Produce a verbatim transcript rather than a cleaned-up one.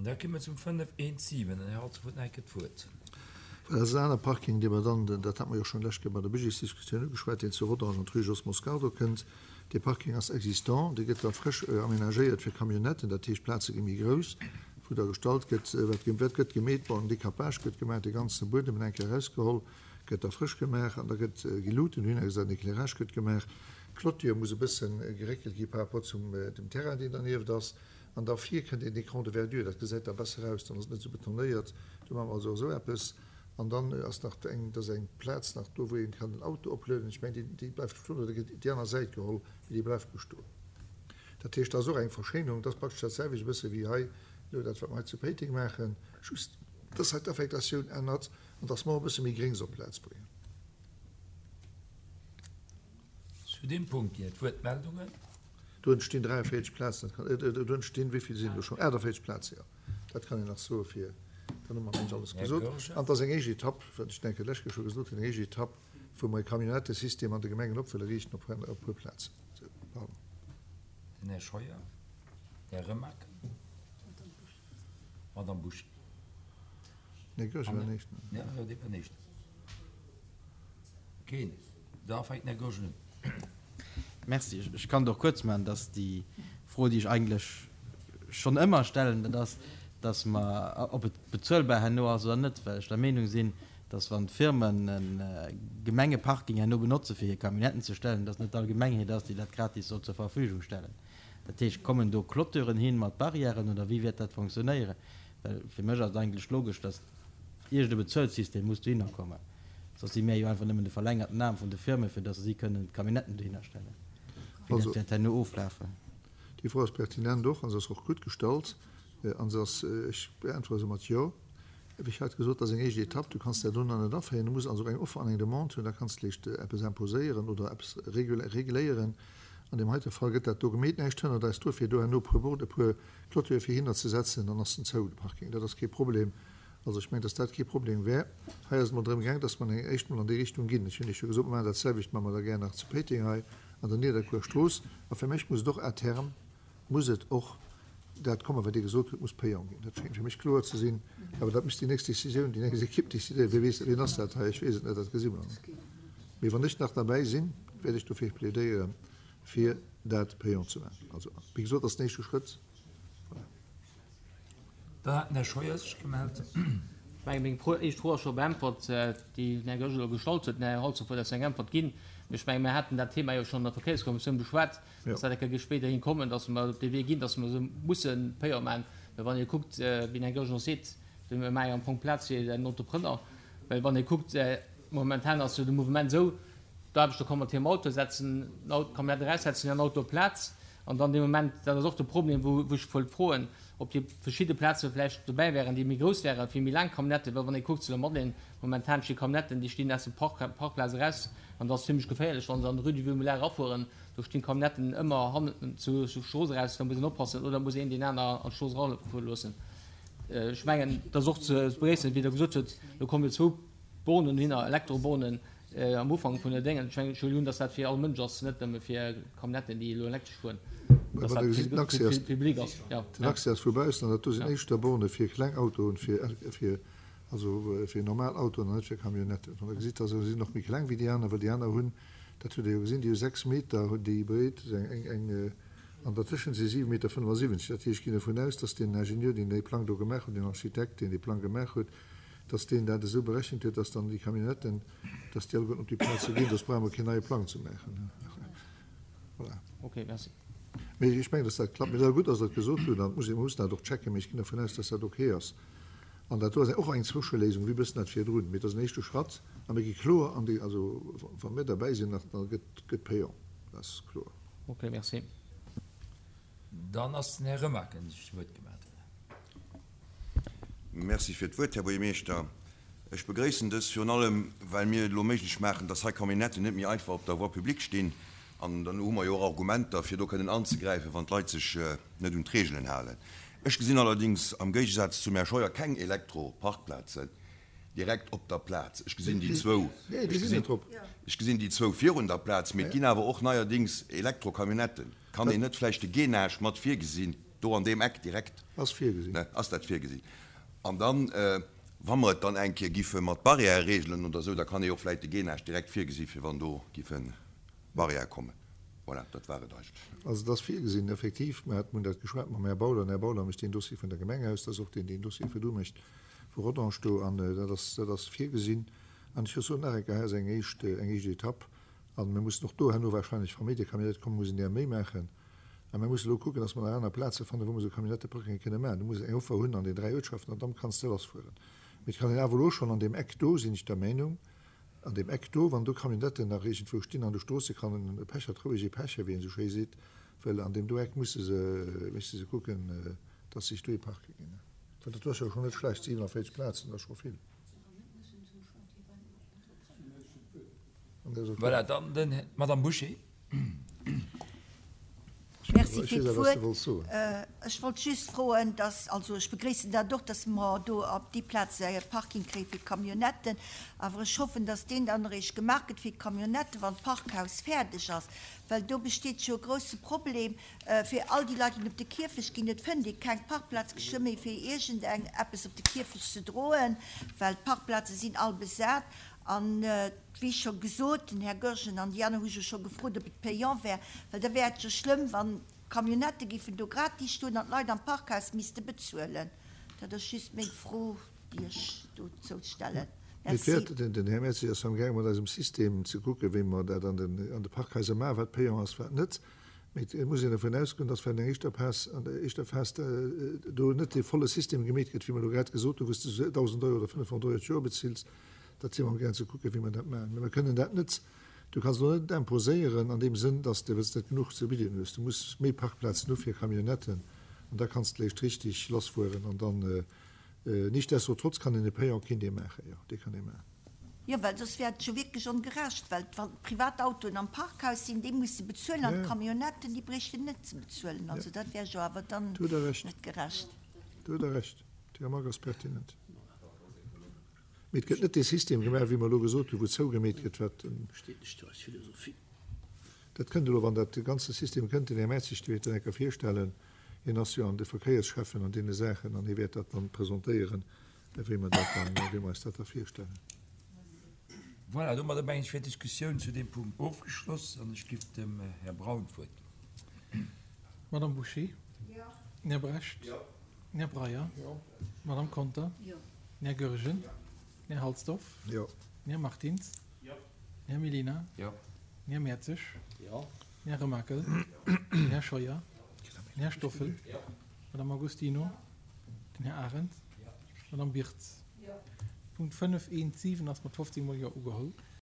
Da komme mer zum fënnef eent siwen. Den Här Holzer huet nach eng Kéier d'Wuert. Well dat ass en aner Parking, dee mer dann, dat hate mer jo schonn d'lescht Kéier bei der Budgetsdiskussioun ugeschwat, deen zu Rodange an d'Rue Jos Moscardo kënnt. Dee Parking ass existant, dee gëtt da frësch aménagéiert fir Camionnetten, dat heescht, d'Plaze gi méi grouss, wou da gestallt gëtt, wat wat gëtt gemeet, bon, en Décapage gëtt gemaach, dee ganze Buedem eng Kéier erausgeholl, gëtt da frësch gemaach an da gëtt geluuten, hunn gesat, en Éclairage gëtt gemaach, d'Clôture muss e bëssen geréckelt gi par rapport zum dem Terrain, deen dernieft ass, an da vir kënnt een Écran de verdure, dat gesäit da besser aus, dann ass et net esou betonéiert, do maache mer also esou eppes. An dann ass nach eng, et ass eng Plaz nach do, wou een kann den Auto oplueden. Ech mengen, déi, déi bleift bestoen oder gëtt déi aner Säit geholl, mee déi bleift bestoen. Dat heescht, dat ass och eng Verschéinerung. Dat ass praktesch dat selwecht e bësse wéi hei elo dat, wat mer hei zu Péiteng maachen, just dass hei d'Affektatioun ännert an dass mer och e bësse méi Gréngs op d'Plaz bréngen. Zu deem Punkt ginn et Wuertmeldungen. Do entstinn dräianvéierzeg Plazen, dat kann, do entstinn, wéi vill sinn do schonn? Aachtavéierzeg Plaze, jo. Dat kann een nach soe fir, dann hu mer mengen ech alles gesot. An et ass eng éischt Etapp, wat ech denken lech scho gesot hunn, eng éischt Etapp, wou mer e Camionnettesystem an de Gemengen op wëlle riichten op e puer Plazen. Sou, pardon. Den Här Scheuer, Här Remakel, Madame Bouchet. Den Här Goergen war den Éischten. Jo, jo, dee war den Éischten. Keen. Da fänkt den Här Goergen un. Merci. Ech kann et och kuerz maachen. Dass déi Fro, déi ech eigentlech schonn ëmmer stellen, dat ass, dass mer, ob et bezuelbar herno ass oder net, well ech der Meenung sinn, dass wann d'Firmen e Gemengeparking herno benotze fir hir Camionnetten ze stellen, dass net d'Allgemengheet ass, déi dat gratis soll zur Verfügung stellen. Dat heescht, kommen do Clôturen hin mat Barrièren oder wéi wäert dat fonctionnéieren? Well fir mech ass et eigentlech logesch, dass iergend e Bezuelsystem muss dohinner kommen. Soss si mär jo einfach nëmmen de verlängerten Aarm vun de Firmen, fir dass se si kënnen d'Camionnetten dohinner stellen. Wéi dat wäert herno oflafen? Déi Fro ass pertinent och a se ass och gutt gestallt a se ass, ech beäntwere se mat Jo. Wéi ech hat gesot, dat ass eng éischt Etapp. Du kanns dat elo nach net aféieren. Du muss also eng Offer an eng Demande hunn, da kanns de vläicht eppes imposéieren oder eppes regléieren. An deem heite Fall gëtt dat do gemeet. Näischt hënnert eis do, fir do herno e puer Bord, e puer Clôture fir hinner ze setzen, dann ass en zou, de Parking. Dat ass kee Problem. Also ech mengen, dass dat kee Problem wär. Hei ass et emol drëm gaang, dass mer eng éischt mol an déi Richtung ginn. Ech hunn Iech jo gesot, mer maachen dat selwecht, maache mer da gär nach zu Péiteng hei an der Nidderkuer Strooss. A fir mech muss et och à terme, muss et och dat kommen, wat Dir gesot hutt, muss payant ginn. Dat schéngt fir mech kloer ze sinn. Awer dat muss déi nächst Décisioun, déi nächst Equipe décidéieren. Wie weess, wien ass dat hei? Ech weess et net, dat gesi mer dann. Mee wann ech nach derbäi sinn, wäert ech dofir plädéieren, fir dat payant ze maachen. Also, wéi gesot, dat ass den éischte Schrëtt. Voilà. Dann hat den Här Scheuer sech gemellt. Ech mengen, meng Fro, éischt Fro ass scho beäntwert, déi den Här Goergen elo gestallt huet. Den Här Holzhoff huet eis eng Äntwert ginn. Mee ech mengen, mir haten dat Thema jo schonn an der Verkéierskommissioun beschwat, dass dat eng Kéier spéiderhin kommen, dass mer op dee Wee ginn, dass mer se musse payant maachen. Well wann ee kuckt, wéi den Här Goergen och seet, mir maache jo am Fong Plaz fir den Entrepreneur. Well wann ee kuckt, momentan ass jo de Mouvement esou, D'Aarbechter komme mat hirem Auto, setzen d'Camionnette eraus, setzen hiren Auto op d'Plaz an dann dee Moment, dat ass och de Problem, wou ech wollt froen, ob déi verschidde Plaze vläicht dobäi wären, déi méi grouss wären, fir méi laang Camionnetten, well wann ee kuckt zu der Madeleine, momentan sti Camionnetten, déi stinn aus dem Park, Parkplaz eraus an dat ass zimlech geféierlech, wa se an d'Rue du Vieux Moulin erafueren, do stinn d'Camionnetten ëmmer hannen zur Strooss eraus, da muss een oppassen oder muss een deen aner an d'Strooss erafuere loossen. Ech mengen, dat ass och ze begréissen, wéi Der gesot hutt, do komme jo zwou Bornen dohinner, Elektrobornen, Am Ufank vun der Déngen, ech mengen, ech huelen un, dass dat fir all Mënsch ass, net nëmme fir Camionnetten, déi elo elektresch fueren, dass dat fir de Public ass. Den Accès ass vu baussen an dat do sinn éischter Borne fir kleng Autoen, fir, also fir normal Autoen an net fir Camionnetten. Wann Der gesitt, da se sinn och méi kleng wéi déi aner, well déi aner hunn, dat hutt Der jo gesinn, déi hu sechs Meter hunn déi breet, eng, eng, an dertëschent si siwe Meter fënnefasiwwenzeg. Dat heescht, ech ginn dovun aus, dass deen Ingenieur, deen dee Plang do gemaach huet, deen Architekt, deen dee Plang gemaach huet, dass deen dat esou berechent huet, dass dann déi Camionnetten, dass déi alleguerten op déi Plaze ginn, soss brauche mer keen neie Plang ze maachen. Voilà. Okay, merci. Mee ech mengen, dass dat klappt. Mee et ass gutt, dass Der et gesot hutt an et muss ee, mer mussen dat och checken, mee ech ginn dervun aus, dass dat okay ass. An dat do ass och eng Zwëscheléisung, wéi e bëssen dat virdrun. Mee et ass en éischte Schratt a mir gi kloer an déi, also wa mir derbäi sinn nach, da gëtt, gëtt payant, dat ass kloer. Okay, merci. Dann ass den Här Remaken sech zu Wuert gemellt. Merci fir d'Wuert, Här Buergermeeschter. Ech begréissen dës virun allem, well mir et elo méiglech maachen, dass hei Camionnetten net méi einfach op der Voie publique stinn. An dann hu mer jo och Argumenter, fir do kënnen anzegräifen, wann d'Leit sech net un d'Reegelen halen. Ech gesinn allerdings am Géigesaz zum Här Scheuer keng Elektroparkplazen direkt op der Plaz. Ech gesinn déi zwou, ech gesinn déi zwou virun der Plaz, mee et ginn awer och neierdings Elektrocamionnetten. Kann een net vläicht de Gainage mat virgesinn? do an deem Eck direkt. Ass virgesinn. Ne, ass dat virgesinn? An dann, wa mer et dann eng Kéier giffe mat Barrièrë regelen oder esou, da kann ee jo och vläicht de Gainage direkt virgesi fir wann do giffe Barrièrë kommen. Voilà, dat war et eigentlech. Also et ass virgesinn, effektiv. Mer haten dat geschwat mam Här Bauler. Den Här Bauler mécht deen Dossier vun der Gemeng aus. Dat ass och deen, deen Dossier virdu mécht vu Rodange do. An dat ass, dat ass virgesinn. An ech soen nach eng Kéier, hei ass eng éischt, eng éischt Etapp. A mir mussen och do herno wahrscheinlech, wa méi de Camionnette kommen, mussen där méi maachen. A mir mussen elo kucken, dass mer nach aner Plaze fannen, wou mer esou Camionnetteparkinge kënne maachen. Du muss eng Offer hunn an den dräi Uertschaften an dann kanns de lassfueren. Mee et kann een awer elo schonn an deem Eck do, sinn ech der Meinung, an deem Eck do, wann do Camionnetten nach iergendwou stinn an de Stroosse, kann e Pechert roueg ee pechen, wéi een esou schéi seet, well an deem do Eck musse se, misste se kucken, dass se sech do ee parke ginn. Well dat do ass jo schonn net schlecht, siwenavéierzeg Plazen, dat ass scho vill. Voilà, dann den d'Madame Bouché. Merci fir d'Wuert. Ech wollt just froen, dass, also ech begréissen dat och, dass mer do op déi Plaz e Parking kréie fir d'Camionnetten, awer ech hoffen, dass deen dann eréischt gemaach gëtt fir d'Camionnetten, wann d'Parkhaus fäerdeg ass, well do besteet jo e grouse Problem fir all déi Leit, déi op de Kierfecht ginn. Et fënnt ee keng Parkplaz geschwë méi fir iergendeng eppes op de Kierfecht ze droen, well d'Parkplaze sinn all besat. An, wéi scho gesot, den Här Goergen an déi aner hu jo scho gefrot, ob et payant wär, well da wär et jo schlëmm, wann d'Camionnettë géifen do gratis stoen an d'Leit am Parkhaus misste bezuelen. Dat ass just meng Fro, déi ech dozou stellen. Et Merci. wäert, den Här Mertzig ass amgaange mat eisem System ze kucken, wéi mer dat an den, an de Parkhaiser maachen, wat payant ass, wat net. Mee et muss een dervun ausgoen, dass während enger éischter Phas, an der éischter Phas do net dee volle System gemeet gëtt, wéi mer elo grad gesot hunn, wou s de dausend Euro oder fënnefhonnert Euro d'Joer bezills. Dat si mer amgaang ze kucken, wéi mer dat maachen. Mä mer kënnen dat net, du kanns elo net imposéieren an deem Sënn, dass de, well s de net genuch ze bidden hues, du muss méi Parkplazen hu fir Camionnetten an da kanns de léischt richtig lassfueren an dann, nichtsdestotrotz kann een e Payant kéint ee maachen, jo, dee kann ee maachen. Jo, well soss wär et jo wierklech ongerecht, well wann d'Privatautoen am Parkhaus sinn, déi musse bezuelen an d'Camionnetten, déi bréichten net ze bezuelen. Also dat wär jo awer dann Do hutt Der Recht. net gerecht. Do hutt Der Recht. Déi Remarque ass pertinent. Mee et gëtt net dee System gemaach, wéi mer elo gesot hunn, wou zougemeet gëtt, wat den. Dat kënnt elo, wann dat ganze System kënnt. Den Här Mertzig, dee wäert dat eng Kéier virstellen. Hien ass jo an de Verkéiersschäffen an deene Saachen an hie wäert dat dann presentéieren, wéi mer dat dann, wéi mer eis dat da virstellen. Voilà, domadder mengen ech wär d'Diskussioun zu deem Punkt ofgeschloss an ech giff dem Här Braun d'Wuert ginn. Madame Bouché? Jo. Den Här Brecht? Jo. Den Här Breyer? Jo. D'Madame Conter? Jo. Den Här Goergen? Jo. Den Här Halsdorf? Jo. Den Här Martins? Jo. Den Här Mellina? Jo. Den Här Mertzig? Jo. Den Här Remakel? Jo. Den Här Scheuer? Den Här Stoffel? Jo. D'Madame Agostino? Den Här Arendt? Jo. D'Madame Birtz? Jo. Punkt fënnef eent siwen ass mat fofzéng mol Jo ugeholl.